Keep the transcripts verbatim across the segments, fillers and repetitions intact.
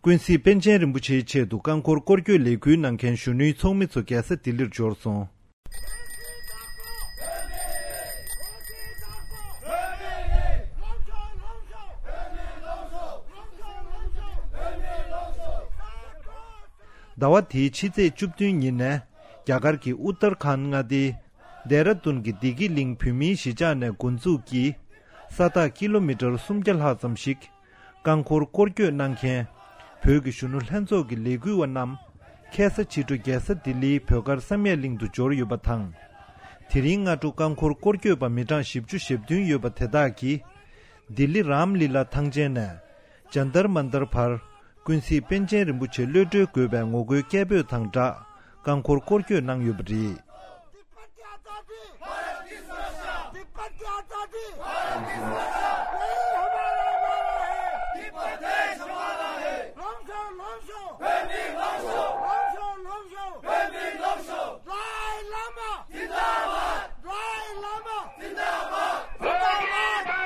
ཀུན་གཟིགས་པཎ་ཆེན་རིན་པོ་ཆེའི་ཆེད་དུ་རྐང་འཁོར་སྐོར་སྐྱོད་ལས་འགུལ་གནང་མཁན་གཞོན་ནུའི་ཚོགས་མི་ཚོ་རྒྱལ་ས་ལྡི་ལིར་འབྱོར་སོང་། ཟླ་བ་འདིའི་ཕྱི་ཚེས་བཅུ་བདུན་ཉིན་ནས་རྒྱ་གར་གྱི་ཨུ་ཏར་ཁཱན་མངའ་སྡེའི་ལྡེ་ར་ལྡུན་གྱི་བདེ་སྐྱིད་གླིང་བོད་མིའི་གཞིས་ཆགས་ནས་འགོ་འཛུགས་ཀྱིས་ས་ཐག་ཀི་ལོ་མི་ཊར་སུམ་བརྒྱ་ལྷག་ཙམ་ཞིག་རྐང་འཁོར་སྐོར་སྐྱོད་གནང་མཁན་བོད་ཀྱི་གཞོན་ནུ་ལྷན་ཚོགས་ཀྱི་ལས་འགུལ་བ་རྣམས་ཁ་སང་ཕྱི་དྲོ་རྒྱལ་ས་ལྡི་ལིའི་བོད་སྒར་བསམ་ཡས་གླིང་དུ་འབྱོར་ཡོད་པ་དང་། དེ་རིང་སྔ་དྲོ་རྐང་འཁོར་སྐོར་སྐྱོད་པ་མི་གྲངས་བཞི་བཅུ་ཞེ་བདུན་ཡོད་པ་དེ་དག་གིས་ལྡི་ལི་རམ་ལི་ལ་ཐང་ཆེན་ནས་ཇན་ཏར་མན་ཏར་བར་ཀུན་གཟིགས་པཎ་ཆེན་རིན་པོ་ཆེ་གློད་གྲོལ་དགོས་པའི་ངོ་རྒོལ་སྐད་འབོད་དང་སྦྲགས་རྐང་འཁོར་སྐོར་སྐྱོད་གནང་ཡོད་པ་རེད། तिब्बत की आजादी, भारत की सुरक्षा। तिब्बत की आजादी, भारत की सुरक्षा। ये हमारा नारा है। तिब्बत देश हमारा है। लौंगशो, लौंगशो। बेबी लौंगशो। लौंगशो, लौंगशो। बेबी लौंगशो। दलाई लामा। जिंदाबाद। दलाई लामा। जिंदाबाद। जिंदाबाद।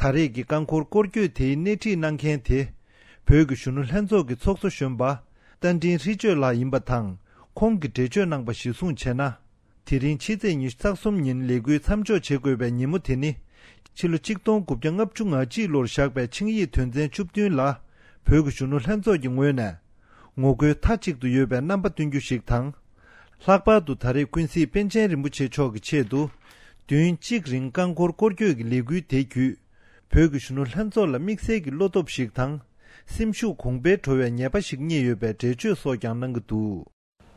ད་རེས་ཀྱི་རྐང་འཁོར་སྐོར་སྐྱོད་དེའི་སྣེ་ཁྲིད་གནང་མཁན་དེ། བོད་ཀྱི་གཞོན་ནུ་ལྷན་ཚོགས་ཀྱི་ཚོགས་གཙོ་གཞོན་པ་རྟ་མགྲིན་ཧྲི་ལྕོད་ལགས་ཡིན་པ་དང་། ཁོང་གིས་འགྲེལ་བརྗོད་གནང་པ་གཞིར་བཟུང་བྱས་ན། དེ་རིང་ཕྱི་ཚེས་ཉི་ཤུ་རྩ་གསུམ་ཉིན་ལས་འགུལ་མཚམས་འཇོག་བྱེད་དགོས་པའི་ཉིན་མོ་དེ་ནི། ཕྱི་ལོ་ཆིག་སྟོང་དགུ་བརྒྱ་ལྔ་བཅུ་ང་གཅིག་ལོར་བཞག་པའི་ཆིངས་ཡིག་དོན་ཚན་བཅུ་བདུན་ལ། བོད་ཀྱི་གཞོན་ནུ་ལྷན་ཚོགས་ཀྱི་ངོས་ནས། ངོ་རྒོལ་མཐའ་གཅིག་ཏུ་ཡོད་པའི་རྣམ་པ་སྟོན་རྒྱུ་ཞིག་དང་། ལྷག་པར་དུ་ད་རེས་ཀུན་གཟིགས་པཎ་ཆེན་རིན་པོ་ཆེ་མཆོག་གི་ཆེད་དུ། བདུན་གཅིག་རིང་རྐང་འཁོར་སྐོར་སྐྱོད་ཀྱི་ལས་འགུལ་དེ་བརྒྱུད། བོད་ཀྱི་གཞོན་ནུ་ལྷན་ཚོགས་ལ་དམིགས་བསལ་གྱི་བློ་སྟོབས་ཤིག་དང་། སེམས་ཤུགས་གོང་འཕེལ་འགྲོ་བའི་ངེས་པ་ཞིག་རྙེད་ཡོད་པའི་འགྲེལ་བརྗོད་སོགས་ཀྱང་གནང་གི་འདུག།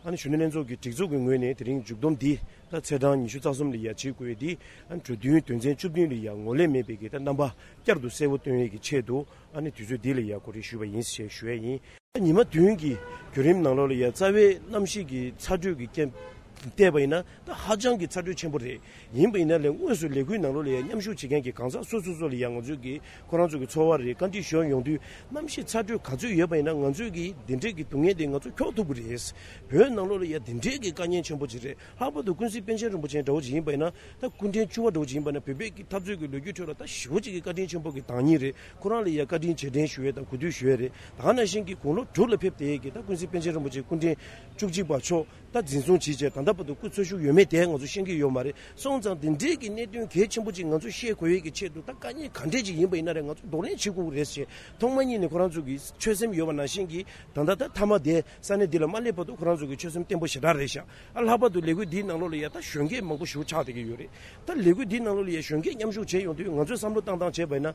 ཨ་ནི་གཞོན་ནུ་ལྷན་ཚོགས་ཀྱི་སྒྲིག་འཛུགས་ཀྱི་ངོས་ནས་དེ་རིང་མཇུག་བསྡོམས་འདི་ད་ཚེས་གྲངས་ཉི་ཤུ་རྩ་གསུམ་ལ་ཡ་བྱེད་དགོས་ཡས་འདི། ཨ་ནི་གྲོས་མཐུན་དོན་ཚན་བཅུ་བདུན་ལ་ཡ་ངོས་ལེན་མེད་པའི་གི་ད་རྣམ་པ་བསྐྱར་དུ་གསལ་པོ་སྟོན་ཡས་ཀྱི་ཆེད་དུ། ཨ་ནི་དུས་ཚོད་འདི་ལ་ཡ་གོ་སྒྲིག་ཞུས་པ་ཡིན་ཞེས་ཞུ་ཡས་ཡིན། ཉི་མ་བདུན་གྱི་བརྒྱུད་རིམ་ནང་ལོགས་ལ་ཡ་རྩ་བའི་གནམ་གཤིས་ཀྱི་ཚ་དྲོད་ཀྱི་རྐྱེན་བལྟས་པ་ཡིན་ན་ད་ཧ་ཅང་གི་ཚ་དྲོད་ཆེན་པོ་རེད། ཡིན་པ་ཡིན་ན་ལས་དངོས་སུ་ལས་འགུལ་ནང་ལོགས་ལ་ཡ་མཉམ་ཞུགས་བྱེད་མཁན་གྱི་གང་ཟག་སོ་སོ་སོ་ལ་ཡ་ང་ཚོས་ཀྱི་ཁོ་རང་ཚོ་གི་ཚོར་བ་རེད། བཀའ་འདྲི་ཞུ་ཡ་ཡོང་དུས་གནམ་གཤིས་ཚ་དྲོད་ག་ཚོད་ཡོད་པ་ཡིན་ན་ང་ཚོས་ཀྱི་འདི་འདྲས་ཀྱི་སྡུག་བསྔལ་དེ་ང་ཚོ་འཁྱོག་ཐུབ་ཀྱི་རེད། བོད་ནང་ལོགས་ལ་ཡ་འདི་འདྲས་ཀྱི་དཀའ་ངལ་ཆེན་པོ་ཅིག་རེད། ལྷག་པར་དུ་ཀུན་གཟིགས་པཎ་ཆེན་རིན་པོ་ཆེ་འདྲ་བོ་ཅིག་ཡིན་པ་ཡིན་ན་ད་སྐུ་ཕྲེང་བཅུ་པ་འདྲ་བོ་ཅིག་ཡིན་པ་ན་བོད་པའི་གི་འཐབ་རྩོད་ཀྱི་ལོ་རྒྱུས་ཁྲོད་ལ་ད་ཞེ་པོ་ཅིག་གི་བཀའ་དྲིན་ཆེན་པོ་གི་བདག་ཉིད་རེད། ཁོ་རང་ལ་ཡ་བཀའ་དྲིན་རྗེས་དྲན་ཞུ་ཡས་དང་གུས་འདུད་ཞུ་ཡས་རེད། ད་ག་ནང་བཞིན་གྱི་དགུང་ལོ་དྲུག་ལ་ཕེབས་བསྡད་ཡས་ཀྱི་ད་ཀུན་གཟིགས་པཎ་ཆེན་རིན་པོ་ཆེ་སྐུ་ཕྲེང་བཅུ་གཅིག་པ་མཆོག་ད་འཛིན་བཟུང་བྱས་རྗེས་ད་ལྟ་བར་དུ་སྐུ་འཚོ་བཞུགས་ཡོད་མེད་དེ་ང་ཚོ་ཤེས་ཀྱི་ཡོད་མ་རེད། སོང་ཙང་དེ་འདྲའི་གི་གནད་དོན་གལ་ཆེན་པོ་ཅིག་ང་ཚོ་ཤེས་དགོས་ཡས་ཀྱི་ཆེད་དུ་ད་དཀའ་ངལ་ག་འདྲས་ཅིག་ཡིན་པ་ཡིན་ན་རེད། ང་ཚོ་གདོང་ལེན་བྱེད་དགོས་ཀྱི་རེད་ཞེས་ཐོག་མ་ཉིད་ནས་ཁོ་རང་ཚོ་གི་ཆོད་སེམས་ཡོད་པ་ནང་བཞིན་གྱི་ད་ལྟ་ད་མཐའ་མ་དེ་ས་གནས་འདི་ལ་མ་སླེབས་བར་དུ་ཁོ་རང་ཚོ་གི་ཆོད་སེམས་བརྟན་པོ་ཞེ་དྲག་རེད་ཤག། ཨ་ལྷག་པར་དུ་ལས་འགུལ་འདིའི་ནང་ལོགས་ལ་ཡ་ད་གཞོན་སྐྱེས་མང་པོ་ཞིག་ཆགས་བསྡད་ཀྱི་ཡོད་རེད། ད་ལས་འགུལ་འདིའི་ནང་ལོགས་ལ་ཡ་གཞོན་སྐྱེས་མཉམ་ཞུགས་བྱས་ཡོང་དུས་ང་ཚོས་བསམ་བློ་བཏང་སྟངས་བྱས་པ་ཡིན་ན།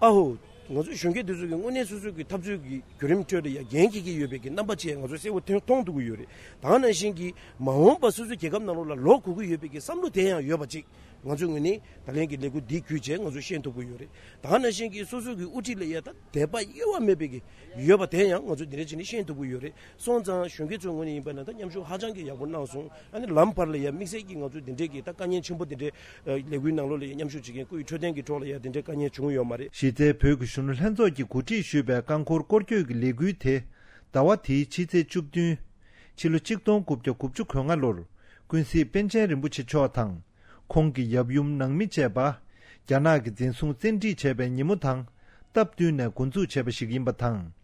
ཨ་ཧོ། ང་ཚོ་གཞོན་སྐྱེས་འདི་ཚོ་གི་དངོས་གནས་སོ་སོ་གི་འཐབ་རྩོད་ཀྱི་བརྒྱུད་རིམ་ཁྲོད་ལ་ཡ་འགན་འཁྱེར་གྱི་ཡོད་པའི་གི་རྣམ་པ་བཅས་ང་ཚོ་གསལ་པོ་ཐོན་མཐོང་ཐུབ་ཀྱི་ཡོད་རེད། ད་ག་ནང་བཞིན་གྱི་མ་འོངས་པ་སོ་སོའི་རྒྱལ་ཁབ་ནང་ལོགས་ལ་ལོག་དགོས་ཀྱི་ཡོད་པའི་གི་བསམ་བློ་དེ་ཡང་ཡོད་པ་ཅིག་ང་ཚོའི་ངོས་ནས་ད་ལན་གྱི་ལས་འགུལ་འདི་བརྒྱུད་བྱས་ང་ཚོ་ཤེས་ཐུབ་ཀྱི་ཡོད་རེད། ད་ག་ནང་བཞིན་གྱི་སོ་སོ་གི་དབུ་ཁྲིད་ལ་ཡ་ད་དད་པ་གཡོ་བ་མེད་པའི་གི་ཡོད་པ་དེ་ཡང་ང་ཚོ་འདི་འདྲ་བྱས་ནས་ཤེས་ཐུབ་ཀྱི་ཡོད་རེད། སོང་ཙང་གཞོན་སྐྱེས་ཚོའི་ངོས་ནས་ཡིན་པ་ན་ད་མཉམ་ཞུགས་ཧ་ཅང་གི་ཡག་པོ་གནང་སོང་། ཨ་ནི་ལམ་བར་ལ་ཡ་དམིགས་བསལ་གྱི་ང་ཚོ་འདི་འདྲའི་གི་ད་དཀའ་ངལ་ཆེན་པོ་འདི་འདྲའི་ལས་འགུལ་ནང་ལོགས་ལ་ཡ་མཉམ་ཞུགས་བྱེད་མཁན་སྐུ་ཡི་འཕྲོད་བསྟེན་གྱི་ཐོག་ལ་ཡ་འདི་འདྲའི་དཀའ་ངལ་བྱུང་ཡོད་མ་རེད། གཞི་རྩའི་བོད་ཀྱི་གཞོན་ནུ་ལྷན་ཚོགས་ཀྱིས་གོ་སྒྲིག་ཞུས་པའི་རྐང་འཁོར་སྐོར་སྐྱོད་ཀྱི་ལས་འགུལ་དེ་ཟླ་བ་དེའི་ཕྱི་ཚེས་བཅུ་བདུན། ཕྱི་ལོ་ཆིག་སྟོང་དགུ་བརྒྱ་དགུ་བཅུ་གོ་ལྔ་ལོར་ཀུན་གཟིགས་པཎ་ཆེན་རིན་པོ་ཆེ་མཆོག་དང་། ཁོང་གི་ཡབ་ཡུམ་ནང་མི་བཅས་པ། རྒྱ་ནག་གིས་འཛིན་བཟུང་བཙན་ཁྲིད་བྱས་པའི་ཉིན་མོ་དང་སྟབས་བསྟུན་ནས་འགོ་འཛུགས་བྱས་པ་ཞིག་ཡིན་པ་དང་།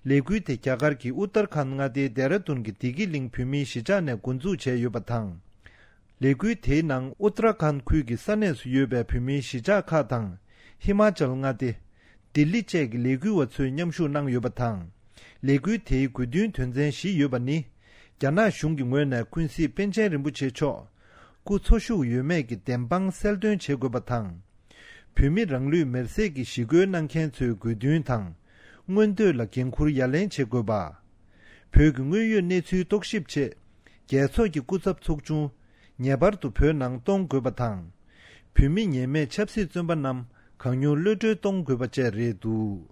ལས་འགུལ་དེ་རྒྱ་གར་གྱི་ཨུ་ཏར་ཁཱན་མངའ་སྡེའི་ལྡེ་ར་ལྡུན་གྱི་བདེ་སྐྱིད་གླིང་བོད་མིའི་གཞིས་ཆགས་ནས་འགོ་འཛུགས་བྱས་ཡོད་པ་དང་། ལས་འགུལ་དེའི་ནང་ཨུ་ཏར་ཁཱན་ཁུལ་གྱི་ས་གནས་སུ་ཡོད་པའི་བོད་མིའི་གཞིས་ཆགས་ཁག་དང་། ཧི་མ་ཅལ་མངའ་སྡེ། ལྡི་ལི་བཅས་ཀྱི་ལས་འགུལ་བ་ཚོས་མཉམ་ཞུགས་གནང་ཡོད་པ་དང་། ལས་འགུལ་དེའི་དགོས་འདུན་དོན་ཚན་བཞི་ཡོད་པ་ནི། རྒྱ་ནག་གཞུང་གི་ངོས་ནས་ཀུན་གཟིགས་པཎ་ཆེན་རིན་པོ་ཆེ་མཆོག་སྐུ་འཚོ་བཞུགས་ཡོད་མེད་ཀྱི་བདེན་དཔང་གསལ་སྟོན་བྱེད་དགོས་པ་དང་། བོད་མི་རང་ལུས་མེར་སྲེག་གི་ཞི་རྒོལ་གནང་མཁན་ཚོའི་དགོས་འདུན་དང་། མངོན་འདོད་ལ་འགན་འཁུར་ཡ་ལན་བྱེད་དགོས་པ། བོད་ཀྱི་དངོས་ཡོད་གནས་ཚུལ་རྟོག་ཞིབ་ཆེད། རྒྱལ་ཚོགས་ཀྱི་སྐུ་ཚབ་ཚོགས་ཆུང་ངེས་པར་དུ་བོད་ནང་གཏོང་དགོས་པ་དང་། བོད་མི་ཉེས་མེད་ཆབ་སྲིད་བཙོན་པ་རྣམས་གང་མྱུར་གློད་གྲོལ་གཏོང་དགོས་པ་བཅས་རེད་འདུག།